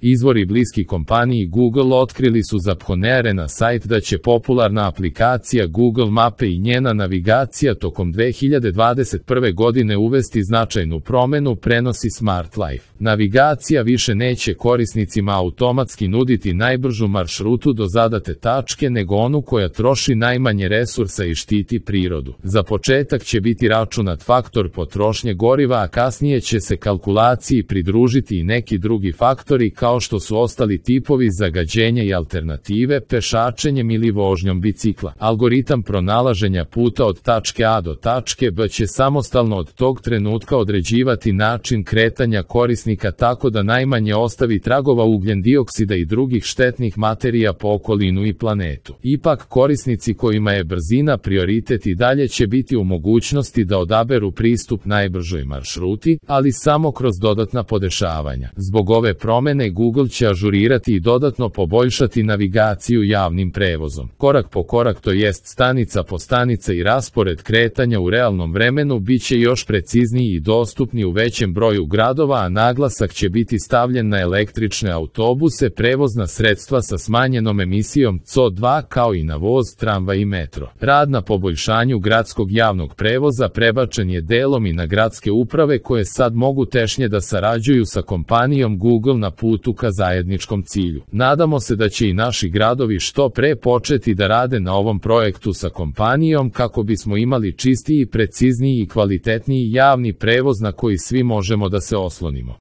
Izvori bliski kompaniji Google otkrili su za pronjerena sajt da će popularna aplikacija Google Mape i njena navigacija tokom 2021. godine uvesti značajnu promenu, prenosi Smart Life. Navigacija više neće korisnicima automatski nuditi najbržu maršrutu do zadate tačke, nego onu koja troši najmanje resursa i štiti prirodu. Za početak će biti računat faktor potrošnje goriva, a kasnije će se kalkulaciji pridružiti i neki drugi faktori kao što su ostali tipovi zagađenja i alternative, pešačenjem ili vožnjom bicikla. Algoritam pronalaženja puta od tačke A do tačke B će samostalno od tog trenutka određivati način kretanja korisnika tako da najmanje ostavi tragova ugljen dioksida i drugih štetnih materija po okolinu i planetu. Ipak, korisnici kojima je brzina prioritet i dalje će biti u mogućnosti da odaberu pristup najbržoj maršruti, ali samo kroz dodatna podešavanja. Zbog ove promene Google će ažurirati i dodatno poboljšati navigaciju javnim prevozom. Korak po korak, to jest stanica po stanica, i raspored kretanja u realnom vremenu biće još precizniji i dostupni u većem broju gradova, a naglasak će biti stavljen na električne autobuse, prevozna sredstva sa smanjenom emisijom CO2, kao i na voz, tramvaj i metro. Rad na poboljšanju gradskog javnog prevoza prebačen je delom i na gradske uprave, koje sad mogu tešnje da sarađuju sa kompanijom Google na putu ka zajedničkom cilju. Nadamo se da će i naši gradovi što pre početi da rade na ovom projektu sa kompanijom kako bismo imali čistiji, precizniji i kvalitetniji javni prevoz na koji svi možemo da se oslonimo.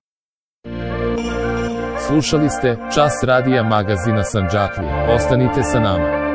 Slušali ste Čas radija magazina Sandžaklija. Ostanite sa nama.